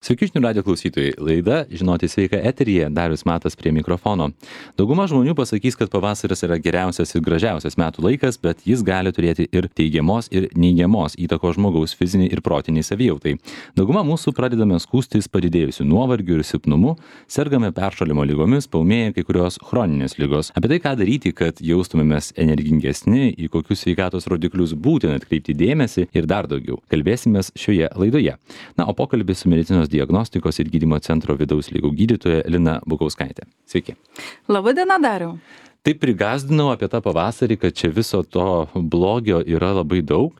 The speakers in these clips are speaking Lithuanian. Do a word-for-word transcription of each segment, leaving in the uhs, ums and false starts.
Sveiki, žinių radio klausytojai. Laida Žinoti sveika eteryje, Darius Matas prie mikrofono. Dauguma žmonių pasakys, kad pavasaris yra geriausias ir gražiausias metų laikas, bet jis gali turėti ir teigiamos, ir neigiamos įtakos žmogaus fiziniai ir protiniai savijautai. Dauguma mūsų pradedame skūstis padidėjusiu nuovargiu ir silpnumu, sergame peršalimo lygomis, paūmėja kai kurios chroninės lygos. Apie tai, ką daryti, kad jaustumėmės energingesni, į kokius sveikatos rodiklius būtina atkreipti dėmesį ir dar daugiau. Kalbėsimės šioje laidoje. Na, o pokalbis su medicinos diagnostikos ir gydymo centro vidaus ligų gydytoja Lina Bukauskaitė. Sveiki. Labą dieną, Dariau. Taip prigazdinau apie tą pavasarį, kad čia viso to blogio yra labai daug.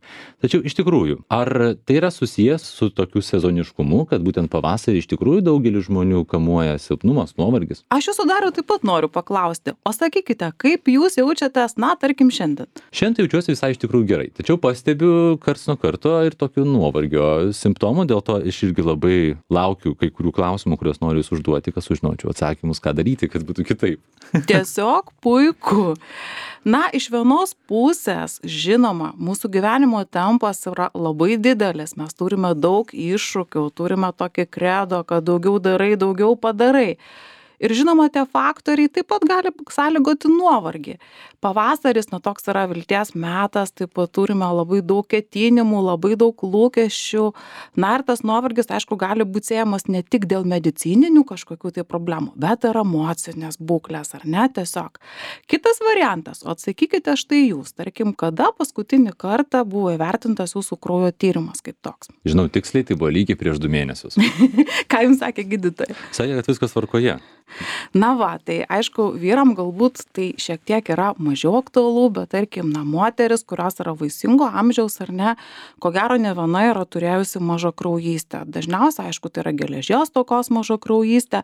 Tačiau iš tikrųjų, ar tai yra susijęs su tokiu sezoniškumu, kad būtent pavasarį iš tikrųjų daugelį žmonių kamuoja silpnumas, nuovargis? Aš jūsų, Dariau, taip pat noriu paklausti. O sakykite, kaip jūs jaučiatės, na, tarkim, šiandien? Šiandien jaučiuosi visai iš tikrųjų gerai. Tačiau pastebiu karts nuo karto ir tokių nuovargio simptomų, dėl to aš irgi labai laukiu kai kurių klausimų, kuriuos noriu jūs užduoti, kad sužinočiau atsakymus, ką daryti, kad būtų kitaip. Tiesiog puiku. Na, iš vienos pusės, žinoma, mūsų gyvenimo tempas yra labai didelis. Mes turime daug iššūkių, turime tokį kredo, kad daugiau darai, daugiau padarai. Ir žinoma, tie faktoriai taip pat gali sąlygoti nuovargį. Pavasaris, na, toks yra vilties metas, taip pat turime labai daug ketinimų, labai daug lūkesčių. Na, ir tas nuovargis, aišku, gali būti siejamas ne tik dėl medicininių kažkokių tai problemų, bet ir emocinės būklės, ar ne, tiesiog. Kitas variantas, o atsakykite štai jūs, tarkim, kada paskutinį kartą buvo įvertintas jūsų kraujo tyrimas kaip toks? Žinau, tiksliai tai buvo lygiai prieš du mėnesius. Ką jums sakė gydytojai? Sakė, kad viskas tvarkoje. Na va, tai aišku, vyram galbūt tai šiek tiek yra mažiau aktualu, bet tarkim, na, moteris, kurios yra vaisingo amžiaus ar ne, ko gero ne viena yra turėjusi mažakraujystę. Dažniausiai, aišku, tai yra geležies stokos mažakraujystė.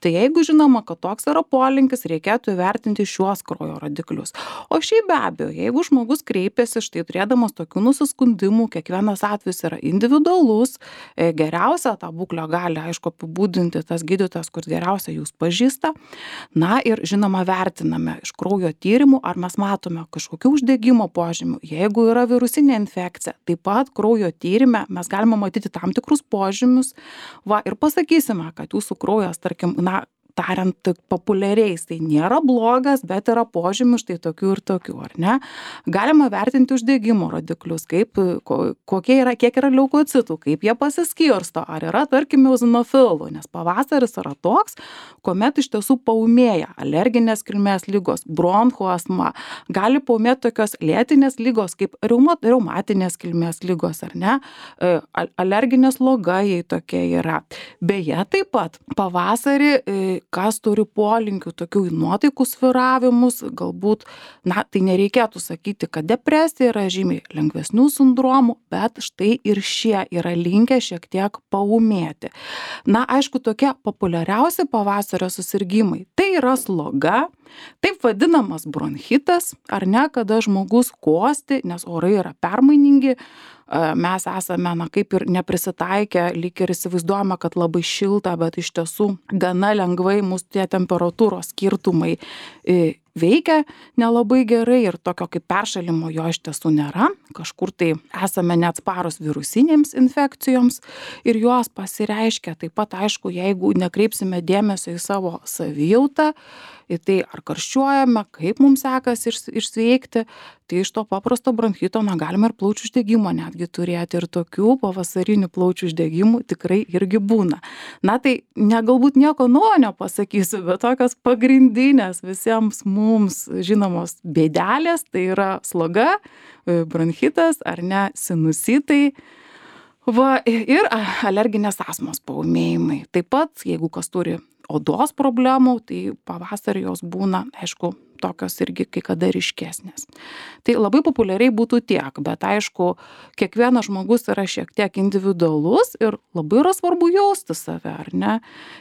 Tai jeigu žinoma, kad toks yra polinkis, reikėtų įvertinti šiuos kraujo rodiklius. O šiaip be abejo, jeigu žmogus kreipiasi štai turėdamas tokių nusiskundimų, kiekvienas atvejis yra individualus, geriausia tą būklę gali, aišku, apibūdinti tas gydytojas, kur geriausia jūs pažįsta. Na ir žinoma vertiname iš kraujo tyrimų, ar mes matome kažkokių uždegimo požymių. Jeigu yra virusinė infekcija, taip pat kraujo tyrime mes galime matyti tam tikrus požymius. Va, ir pasakysime, kad jūsų kraujas, tarkim, na, tariant populiariais, tai nėra blogas, bet yra požymių štai tokių ir tokių, ar ne? Galima vertinti uždegimo rodiklius, kaip, kokie yra, kiek yra leukocitų, kaip jie pasiskirsto, ar yra, tarkim, eozinofilų, nes pavasaris yra toks, kuomet iš tiesų paūmėja alerginės kilmės ligos, bronchų astma, gali paūmėti tokios lėtinės ligos, kaip reumatinės kilmės ligos, ar ne? Alerginės sloga, jei tokia yra. Beje, taip pat pavasarį kas turi polinkių tokių nuotaikų svyravimus, galbūt, na, tai nereikėtų sakyti, kad depresija yra žymiai lengvesnių sindromų, bet štai ir šie yra linkę šiek tiek paūmėti. Na, aišku, tokie populiariausi pavasario susirgymai, tai yra sloga, taip vadinamas bronchitas, ar ne, kada žmogus kosti, nes orai yra permainingi, mes esame, na, kaip ir neprisitaikę, lyg ir įsivaizduojame, kad labai šilta, bet iš tiesų gana lengvai mūsų tie temperatūros skirtumai veikia nelabai gerai ir tokio kaip peršalimo jo iš tiesų nėra. Kažkur tai esame neatsparus virusinėms infekcijoms ir jos pasireiškia. Taip pat, aišku, jeigu nekreipsime dėmesio į savo savijautą, į tai ar karščiuojame, kaip mums sekasi išsveikti, tai iš to paprasto bronchito, na, galime ir plaučių uždegimo netgi turėti ir tokių pavasarinių plaučių uždegimų tikrai irgi būna. Na, tai ne, galbūt nieko naujo nepasakysiu, bet tokios pagrindinės visiems mums žinomos bėdelės, tai yra sloga, bronchitas ar ne, sinusitai. Va, ir alerginės astmos paūmėjimai. Taip pat, jeigu kas turi odos problemų, tai pavasarį jos būna, aišku, tokios irgi kai kada ryškesnės. Tai labai populiariai būtų tiek, bet aišku, kiekvienas žmogus yra šiek tiek individualus ir labai yra svarbu jausti save, ar ne?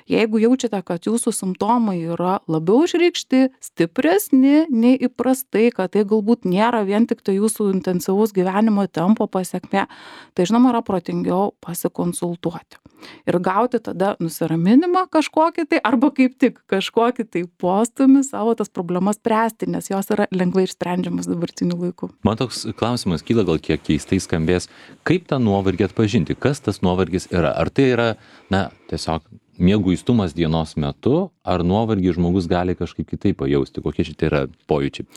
Jeigu jaučiate, kad jūsų simptomai yra labiau išreikšti, stipresni nei įprastai, kad tai galbūt nėra vien tik tai jūsų intensyvaus gyvenimo tempo pasekmė, tai žinoma yra protingiau pasikonsultuoti. Ir gauti tada nusiraminimą kažkokį tai, arba kaip tik kažkokį tai postūmį savo tas problemas spręsti. spręsti, nes jos yra lengvai išsprendžiamas dabartiniu laiku. Man toks klausimas kyla, gal kiek keistai skambės, kaip tą nuovargį atpažinti, kas tas nuovargis yra? Ar tai yra, na, tiesiog mieguistumas dienos metu, ar nuovargį žmogus gali kažkaip kitaip pajausti, kokie šitie yra pojūčiai?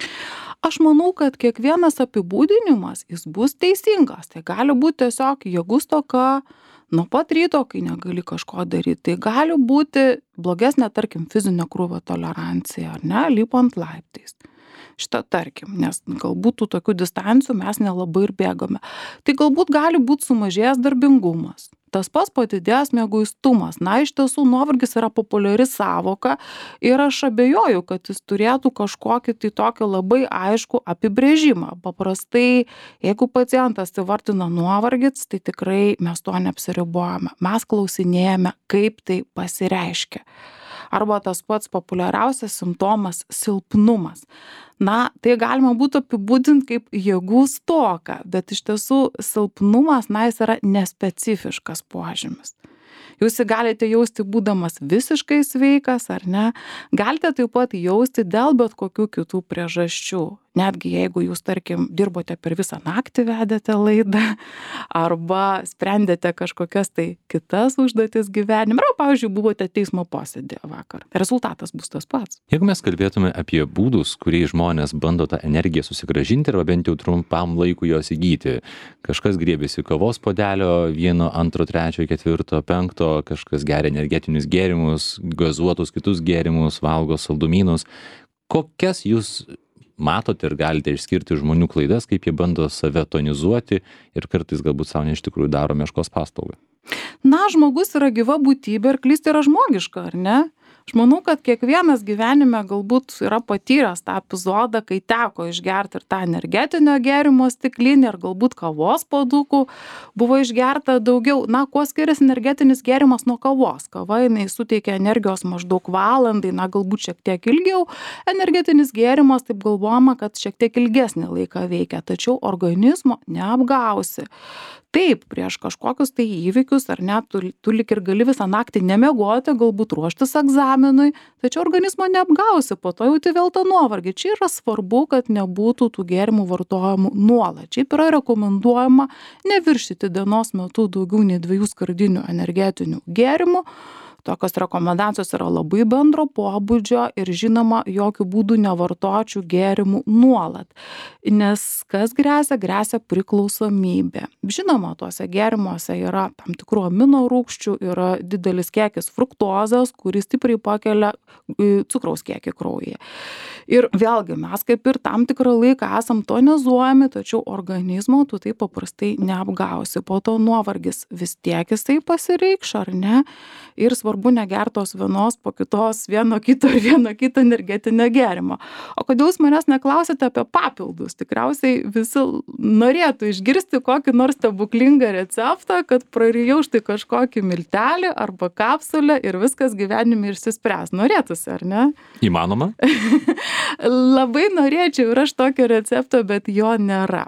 Aš manau, kad kiekvienas apibūdinimas, jis bus teisingas. Tai gali būti tiesiog jėgų stoka, nuo pat ryto, kai negali kažko daryti. Tai gali būti blogesnė, tarkim, fizinio krūvio tolerancija, ar ne, lipant laiptais. Šitą tarkim, nes galbūt tų tokių distancijų mes nelabai ir bėgame. Tai galbūt gali būti sumažėjęs darbingumas. Tas pats padidėjęs mieguistumas. Na, iš tiesų, nuovargis yra populiari sąvoka ir aš abejoju, kad jis turėtų kažkokį tai tokį labai aišku apibrėžimą. Paprastai, jeigu pacientas įvardina nuovargis, tai tikrai mes to neapsiribojame. Mes klausinėjame, kaip tai pasireiškia. Arba tas pats populiariausias simptomas – silpnumas. Na, tai galima būtų apibūdinti kaip jėgų stoką, bet iš tiesų silpnumas, na, jis yra nespecifiškas požymis. Jūs jį galite jausti būdamas visiškai sveikas, ar ne? Galite taip pat jausti dėl bet kokių kitų priežasčių. Netgi jeigu jūs, tarkim, dirbote per visą naktį, vedėte laidą, arba sprendėte kažkokias tai kitas užduotis gyvenime, arba, pavyzdžiui, buvote teismo posėdėje vakar. Rezultatas bus tas pats. Jeigu mes kalbėtume apie būdus, kuriais žmonės bando tą energiją susigrąžinti, arba bent jau trumpam laikui jos įgyti, kažkas griebiasi kavos puodelio, vieno, antro, trečio, ketvirto, penkto, kažkas geria energetinius gėrimus, gazuotus kitus gėrimus, valgo saldumynus. Kokias jūs matote ir galite išskirti žmonių klaidas, kaip jie bando save tonizuoti ir kartais galbūt savo iš tikrųjų daro meškos paslaugą? Na, žmogus yra gyva būtybė ir klysti yra žmogiška, ar ne? Aš manau, kad kiekvienas gyvenime galbūt yra patyręs tą epizodą, kai teko išgerti ir tą energetinio gėrimo stiklinį, ir galbūt kavos puodukų buvo išgerta daugiau. Na, kuo skiriasi energetinis gėrimas nuo kavos? Kava, jinai suteikia energijos maždaug valandai, na, galbūt šiek tiek ilgiau. Energetinis gėrimas, taip galvojama, kad šiek tiek ilgesnį laiką veikia, tačiau organizmo neapgausi. Taip, prieš kažkokius tai įvykius, ar ne, tu, tu lik ir gali visą naktį nemiegoti, galbūt ruoštis egzaminui, tačiau organizmo neapgausi, po to jauti vėl tą nuovargį. Čia yra svarbu, kad nebūtų tų gėrimų vartojimų nuolat. Čia yra rekomenduojama neviršyti dienos metu daugiau nei dviejų skardinių energetinių gėrimų. Tokios rekomendacijos yra labai bendro pobūdžio ir žinoma, jokių būdų nevartočiau gėrimų nuolat. Nes kas gresia? Gresia priklausomybė. Žinoma, tuose gėrimuose yra tam tikrų amino rūgščių, yra didelis kiekis fruktozės, kuris stipriai pakelia cukraus kiekį kraujyje. Ir vėlgi mes kaip ir tam tikrą laiką esam tonizuojami, tačiau organizmo tu taip paprastai neapgausi. Po to nuovargis vis tiek jisai pasireikš, ar ne? Ir svarbu negertos vienos po kitos, vieno kito ir vieno kito energetinio gėrimo. O kodėl jūs manęs neklausite apie papildus? Tikriausiai visi norėtų išgirsti kokį nors stebuklingą receptą, kad prarijau štai kažkokį miltelį arba kapsulę ir viskas gyvenime išsispręs. Norėtųsi, ar ne? Įmanoma? Labai norėčiau ir aš tokio recepto, bet jo nėra.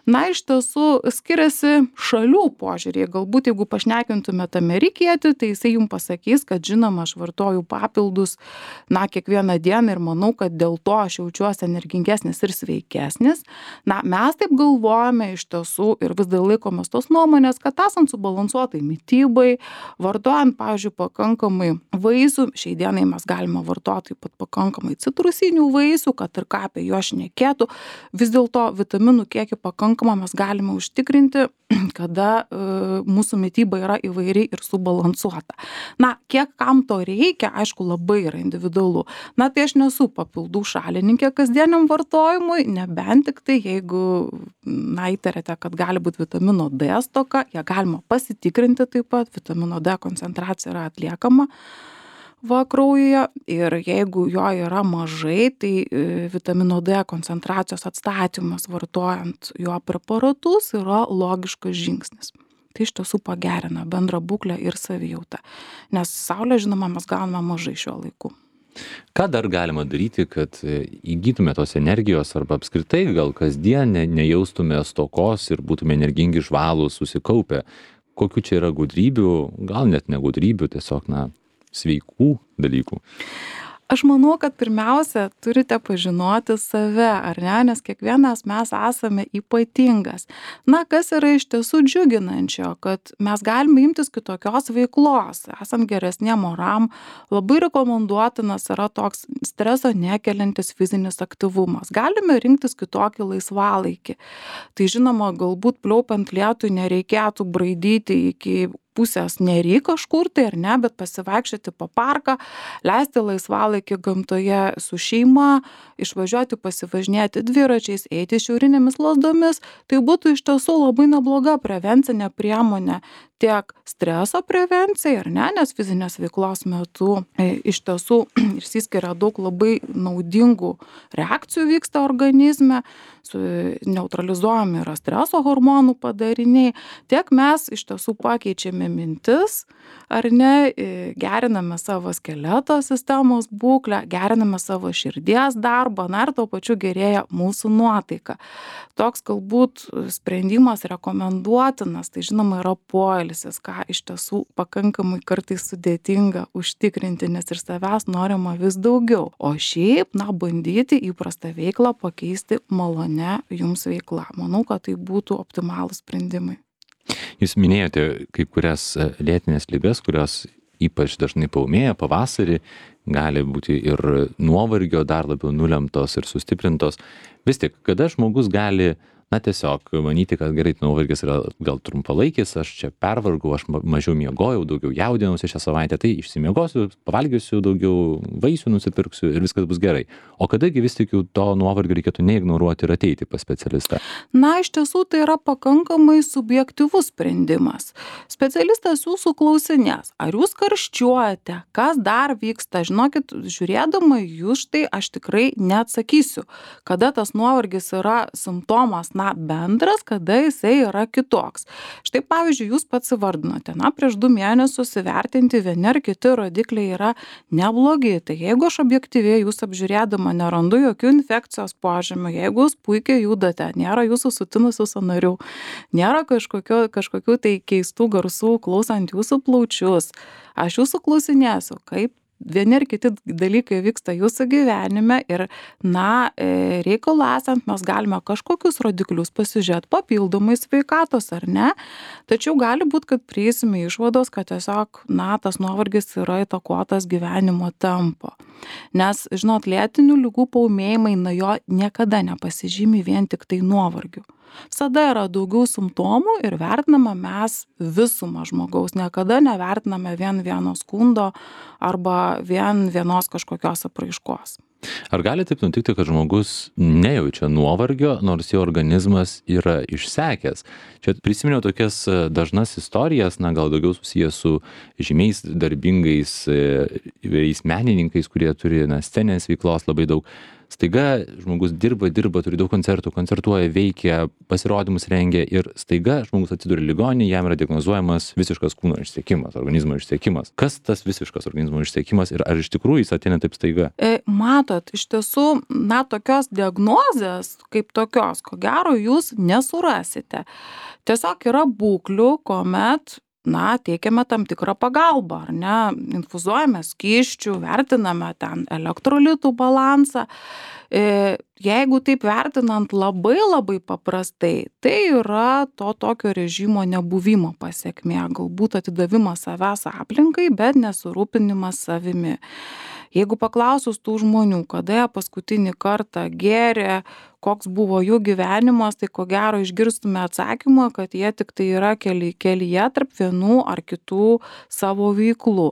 Na, iš tiesų skiriasi šalių požiūrį. Galbūt jeigu pašnekintumėte amerikietį, tai jisai jums pasakys, kad žinoma, aš vartoju papildus, na, kiekvieną dieną ir manau, kad dėl to aš jaučiuosi energingesnis ir sveikesnis. Na, mes taip galvojame iš tiesų ir vis dar laikomės tos nuomonės, kad esant subalansuotai mitybai, vartojant, pavyzdžiui, pakankamai vaisių, šiai dienai mes galime vartoti taip pat pakankamai citrusinių vaisių, kad ir ką apie juos šnekėtų, vis dėlto vitaminų kiekį pakankamą mes galime užtikrinti, kada e, mūsų mityba yra įvairiai ir subalansuota. Na, kiek kam to reikia, aišku, labai yra individualu. Na, tai aš nesu papildų šalininkė kasdieniam vartojimui, nebent tik tai, jeigu, na, įtarėte, kad gali būti vitamino D stoka, ją galima pasitikrinti taip pat, vitamino D koncentracija yra atliekama va kraujyje ir jeigu jo yra mažai, tai vitamino D koncentracijos atstatymas vartojant jo preparatus yra logiškas žingsnis. Tai iš tiesų pagerina bendrą būklę ir savijautą, nes saulė, žinoma, mes gauname mažai šiuo laiku. Ką dar galima daryti, kad įgytume tos energijos arba apskritai gal kasdien ne, nejaustume stokos ir būtume energingi, žvalūs, susikaupę? Kokių čia yra gudrybių, gal net ne gudrybių, tiesiog, na, sveikų dalykų? Aš manau, kad pirmiausia turite pažinoti save, ar ne, nes kiekvienas mes esame ypatingas. Na, kas yra iš tiesų džiuginančio, kad mes galime imtis kitokios veiklos, esam geresniem oram, labai rekomenduotinas yra toks streso nekeliantis fizinis aktyvumas. Galime rinktis kitokį laisvalaikį. Tai žinoma, galbūt pliaupiant lietui nereikėtų braidyti iki pusės nery kažkur tai ar ne, bet pasivaikščioti po parką, leisti laisvalaikį gamtoje su šeima, išvažiuoti pasivažinėti dviračiais, eiti šiaurinėmis lazdomis, tai būtų iš tiesų labai nebloga prevencinė priemonė tiek streso prevencijai, ar ne, nes fizinės veiklos metu e, iš tiesų išsiskiria daug labai naudingų reakcijų vyksta organizme, su, neutralizuojami yra streso hormonų padariniai, tiek mes iš tiesų pakeičiame mintis, ar ne, geriname savo skeleto sistemos būklę, geriname savo širdies darbą, na ir tuo pačiu gerėja mūsų nuotaika. Toks galbūt sprendimas rekomenduotinas, tai žinoma yra poilsis, ką iš tiesų pakankamai kartais sudėtinga užtikrinti, nes ir savęs norima vis daugiau. O šiaip, na, bandyti įprastą veiklą pakeisti malone jums veikla. Manau, kad tai būtų optimalūs sprendimai. Jūs minėjote kai kurias lėtinės ligas, kurios ypač dažnai paūmėja pavasarį, gali būti ir nuovargio dar labiau nulemtos ir sustiprintos. Vis tik, kada žmogus gali, na tiesiog manyti, kad gerai, nuovargis yra gal trumpalaikis, aš čia pervargau, aš mažiau miegojau, daugiau jaudinausi šią savaitę, tai išsimiegosiu, pavalgysiu daugiau, vaisių nusipirksiu ir viskas bus gerai. O kadagi vis tik jau to nuovargio reikėtų neignoruoti ir ateiti pas specialistą? Na, iš tiesų tai yra pakankamai subjektyvus sprendimas. Specialistas jūsų klausinės, ar jūs karščiuojate, kas dar vyksta, žinokit, žiūrėdama jūs štai aš tikrai neatsakysiu, kada tas nuovargis yra simptomas, na, bendras, kada jisai yra kitoks. Štai, pavyzdžiui, jūs pats įvardinote, na, prieš du mėnesius įvertinti vieni ar kiti rodikliai yra neblogi. Tai jeigu aš objektyviai jūs apžiūrėdama nerandu jokių infekcijos požymių, jeigu jūs puikiai judate, nėra jūsų sutinusių sąnarių, nėra kažkokio, kažkokių tai keistų garsų klausant jūsų plaučius, aš jūsų klausinėsiu, kaip vieni ar kiti dalykai vyksta jūsų gyvenime ir, na, reikalų esant mes galime kažkokius rodiklius pasižiūrėti papildomai sveikatos ar ne, tačiau gali būti, kad prieisime išvados, kad tiesiog, na, tas nuovargis yra įtakotas gyvenimo tempo. Nes, žinot, lėtinių ligų paūmėjimai, na, jo niekada nepasižymi vien tik tai nuovargiu. Visada yra daugiau simptomų ir vertiname mes visumą žmogaus, niekada nevertiname vien vieno skundo arba vien vienos kažkokios apraiškos. Ar gali taip nutikti, kad žmogus nejaučia nuovargio, nors jo organizmas yra išsekęs? Čia prisiminiau tokias dažnas istorijas, na, gal daugiau susijęs su žymiais darbingais įvairiais menininkais, kurie turi, na, sceninės veiklos labai daug. Staiga žmogus dirba, dirba, turi daug koncertų, koncertuoja, veikia, pasirodymus rengia ir staiga žmogus atsiduria ligoninėje, jam yra diagnozuojamas visiškas kūno išsekimas, organizmo išsekimas. Kas tas visiškas organizmo išsekimas ir ar iš tikrųjų jis ateina taip staiga? E, matot, iš tiesų, na, tokios diagnozės kaip tokios, ko gero jūs nesurasite. Tiesiog yra būklių, kuomet, na, teikiame tam tikrą pagalbą, ar ne, infuzuojame skysčių, vertiname ten elektrolitų balansą. E, jeigu taip vertinant labai labai paprastai, tai yra to tokio režimo nebuvimo pasekmė, galbūt atidavimas savęs aplinkai, bet nesurūpinimas savimi. Jeigu paklausus tų žmonių, kada jie paskutinį kartą gėrė, koks buvo jų gyvenimas, tai ko gero išgirstume atsakymą, kad jie tik tai yra kely, kelyje tarp vienų ar kitų savo veiklų.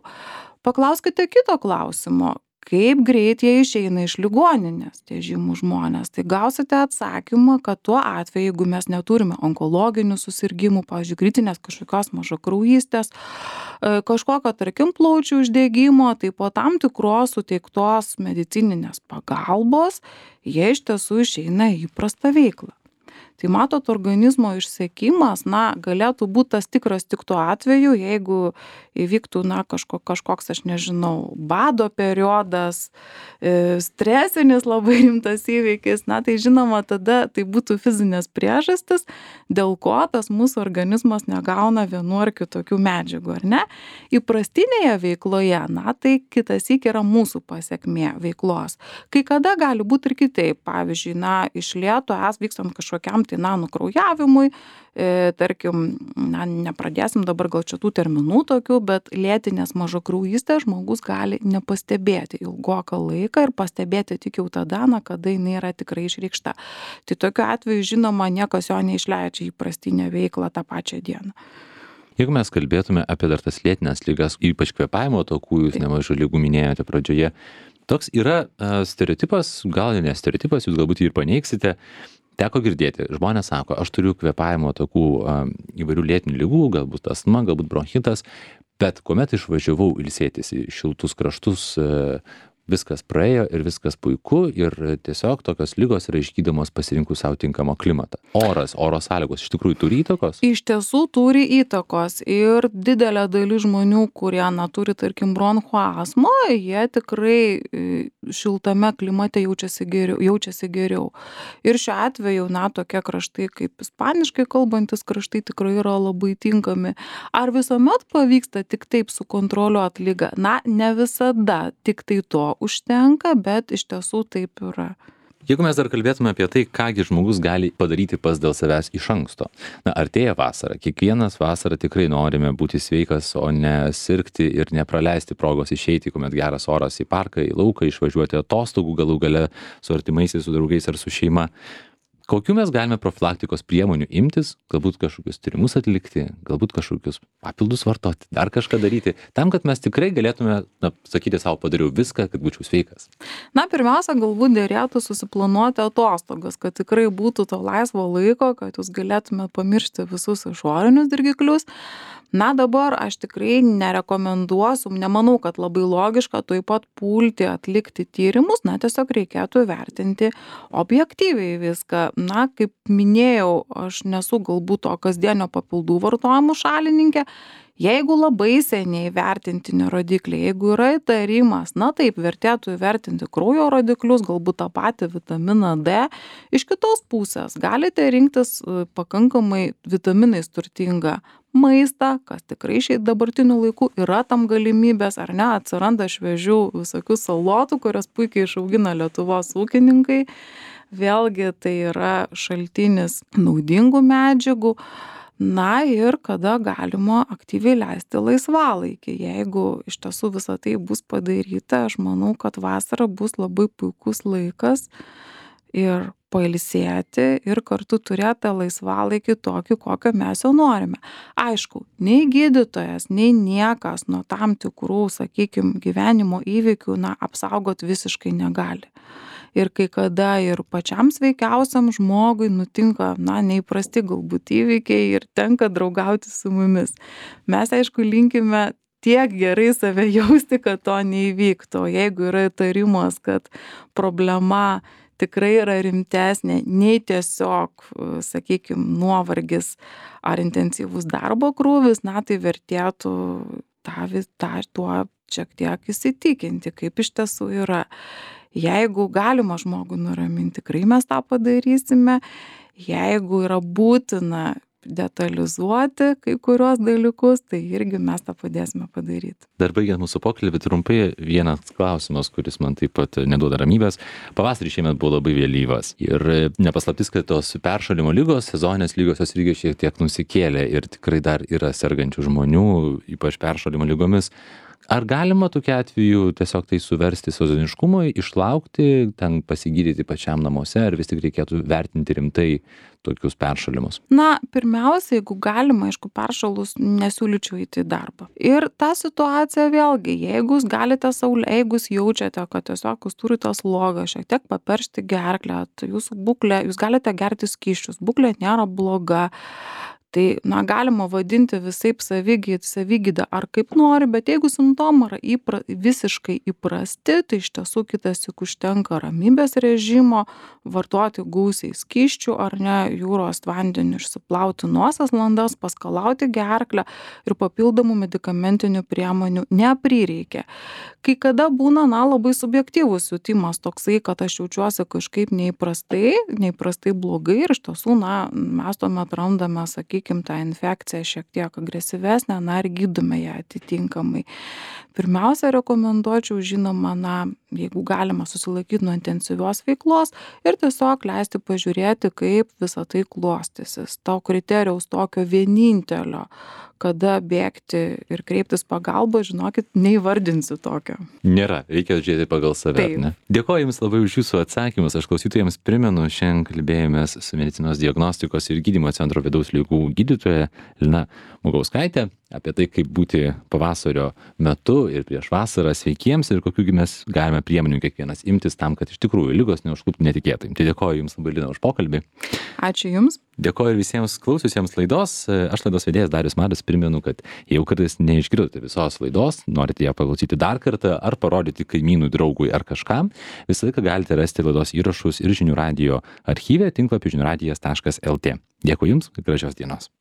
Paklauskite kito klausimo. Kaip greit jie išeina iš ligoninės, tie žymūs žmonės. Tai gausite atsakymą, kad tuo atveju, jeigu mes neturime onkologinių susirgymų, pavyzdžiui, kritinės kažkokios mažakraujystės, kažkokio, tarkim, plaučių uždegimo, tai po tam tikros suteiktos medicininės pagalbos jie iš tiesų išeina į įprastą veiklą. Tai matot, organizmo išsekimas, na, galėtų būti tas tikras tik tuo atveju, jeigu įvyktų, na, kažko, kažkoks, aš nežinau, bado periodas, stresinis labai rimtas įvykis, na, tai žinoma, tada tai būtų fizinės priežastis, dėl ko tas mūsų organizmas negauna vienu ar kitokių medžiagų, ar ne? Įprastinėje veikloje, na, tai kitas syk yra mūsų pasiekmė veiklos. Kai kada gali būti ir kitaip, pavyzdžiui, na, iš lėto es vykstant kažkokiam tai, na, nukraujavimui, e, tarkim, na, nepradėsim dabar gal čia tų terminų tokių, bet lėtinės mažakraujystės žmogus gali nepastebėti ilgoką laiką ir pastebėti tik jau tada, na, kada jinai yra tikrai išreikšta. Tai tokiu atveju, žinoma, niekas jo neišleidžia įprastinę veiklą tą pačią dieną. Jeigu mes kalbėtume apie dar tas lėtinės ligas, ypač kvėpavimo takų, jūs nemažai ligų minėjote pradžioje, toks yra uh, stereotipas, gal ne stereotipas, jūs galbūt jį ir paneigsite, teko girdėti, žmonės sako, aš turiu kvėpavimo takų uh, įvairių lėtinių ligų, galbūt astma, galbūt bronchitas, bet kuomet išvažiavau ilsėtis į šiltus kraštus, uh, viskas praėjo ir viskas puiku ir tiesiog tokios ligos yra išgydomos pasirinkus savo tinkamą klimatą. Oras, oro sąlygos iš tikrųjų turi įtakos? Iš tiesų turi įtakos ir didelė dalis žmonių, kurie na, turi, tarkim, bronchų astmą, jie tikrai šiltame klimate jaučiasi geriau. Jaučiasi geriau. Ir šiuo atveju, na, tokie kraštai kaip ispaniškai kalbantis kraštai tikrai yra labai tinkami. Ar visuomet pavyksta tik taip sukontroliuoti ligą? Na, ne visada tik tai to užtenka, bet iš tiesų taip yra. Jeigu mes dar kalbėtume apie tai, kągi žmogus gali padaryti pas dėl savęs iš anksto. Na, artėja vasara. Kiekvienas vasarą tikrai norime būti sveikas, o ne sirgti ir nepraleisti progos išeiti, kuomet geras oras į parką, į lauką, išvažiuoti atostogų galų gale su artimaisiais, su draugais ar su šeima. Kokių mes galime profilaktikos priemonių imtis, galbūt kažkokius tyrimus atlikti, galbūt kažkokius papildus vartoti, dar kažką daryti, tam, kad mes tikrai galėtume, na, sakyti savo, padariau viską, kad būčiau sveikas? Na, pirmiausia, galbūt dėrėtų susiplanuoti atostogas, kad tikrai būtų to laisvo laiko, kad jūs galėtume pamiršti visus išorinius dirgiklius. Na, dabar aš tikrai nerekomenduosiu, nemanau, kad labai logiška taip pat pulti atlikti tyrimus, na, tiesiog reikėtų vertinti objektyviai viską. Na, kaip minėjau, aš nesu galbūt to kasdienio papildų vartojimų šalininkė. Jeigu labai seniai vertintini rodikliai, jeigu yra įtarimas, na taip, vertėtų įvertinti kraujo rodiklius, galbūt tą patį vitaminą D. Iš kitos pusės galite rinktis pakankamai vitaminais turtingą maistą, kas tikrai šiai dabartiniu laiku yra tam galimybės, ar ne, atsiranda šviežių visokių salotų, kurias puikiai išaugina Lietuvos ūkininkai. Vėlgi tai yra šaltinis naudingų medžiagų. Na ir kada galima aktyviai leisti laisvalaikį. Jeigu iš tiesų visą tai bus padaryta, aš manau, kad vasara bus labai puikus laikas ir pailsėti ir kartu turėti laisvalaikį tokį, kokio mes jau norime. Aišku, nei gydytojas, nei niekas nuo tam tikrų, sakykime, gyvenimo įvykių, na, apsaugoti visiškai negali. Ir kai kada ir pačiam sveikiausiam žmogui nutinka, na, neįprasti galbūt įvykiai ir tenka draugauti su mumis. Mes, aišku, linkime tiek gerai save jausti, kad to neįvyktų. Jeigu yra įtarimas, kad problema tikrai yra rimtesnė, nei tiesiog, sakykime, nuovargis ar intensyvus darbo krūvis, na, tai vertėtų tą, tą, tuo šiek tiek įsitikinti, kaip iš tiesų yra. Jeigu galima žmogų nuraminti, tikrai mes tą padarysime. Jeigu yra būtina detalizuoti kai kurios dalykus, tai irgi mes tą padėsime padaryti. Dar baigiant mūsų pokalbį, trumpai vienas klausimas, kuris man taip pat neduoda ramybės. Pavasarį šiemet buvo labai vėlyvas ir nepaslaptis, kad tos peršalimo lygos, sezoninės lygos, jos irgi šiek tiek nusikėlė ir tikrai dar yra sergančių žmonių, ypač peršalimo lygomis. Ar galima tokiu atveju tiesiog tai suversti sezoniškumui, išlaukti, ten pasigydyti pačiam namuose, ar vis tik reikėtų vertinti rimtai tokius peršalimus? Na, pirmiausia, jeigu galima, aišku, peršalus nesiūlyčiau įti į darbą. Ir ta situacija vėlgi, jeigu jūs galite saulė, jeigu jūs jaučiate, kad tiesiog jūs turite slogą, šiek tiek paperšti gerklę, tai jūsų būklė, jūs galite gerti skysčius, būklė nėra bloga. Tai, na, galima vadinti visaip savigyd, savigydą ar kaip nori, bet jeigu simptomai yra įpra, visiškai įprasti, tai iš tiesų kitas juk užtenka ramybės režimo, vartoti gausiai skysčių ar ne, jūros vandeniu išsiplauti nosies landas, paskalauti gerklę ir papildomų medikamentinių priemonių neprireikia. Kai kada būna, na, labai subjektyvus jutimas toksai, kad aš jaučiuosi kažkaip neįprastai, neįprastai blogai ir iš tiesų, na, mes tuomet randame, sakykime, tą infekciją šiek tiek agresyvesnę, na, ir gydome ją atitinkamai. Pirmiausia, rekomenduočiau, žinoma, na, jeigu galima susilaikyti nuo intensyvios veiklos ir tiesiog leisti pažiūrėti, kaip visą tai klostysis. To kriterijaus tokio vienintelio, kada bėgti ir kreiptis pagalbą, žinokit, neįvardinsiu tokio. Nėra, reikia žiūrėti pagal save. Taip. Ne? Dėkoju Jums labai už Jūsų atsakymus. Aš klausytojams primenu, šiandien kalbėjomės su medicinos diagnostikos ir gydymo centro vidaus ligų gydytoja Lina Mugauskaitė apie tai, kaip būti pavasario metu ir prieš vasarą sveikiems ir kokių mes galime priemonių kiekvienas imtis tam, kad iš tikrųjų ligos neužkluptų netikėtai. Tai dėkoju Jums labai, Lina, už pokalbį. Ačiū Jums. Dėkoju ir visiems klausiusiems laidos. Aš laidos vedėjas Darius Matas primenu, kad jeigu kartais neišgirdote visos laidos, norite ją paklausyti dar kartą ar parodyti kaimynui, draugui ar kažkam, visą laiką galite rasti laidos įrašus ir žinių radijo archyve tinklapį žinių radijas taškas lt. Dėkui Jums ir gražios dienos.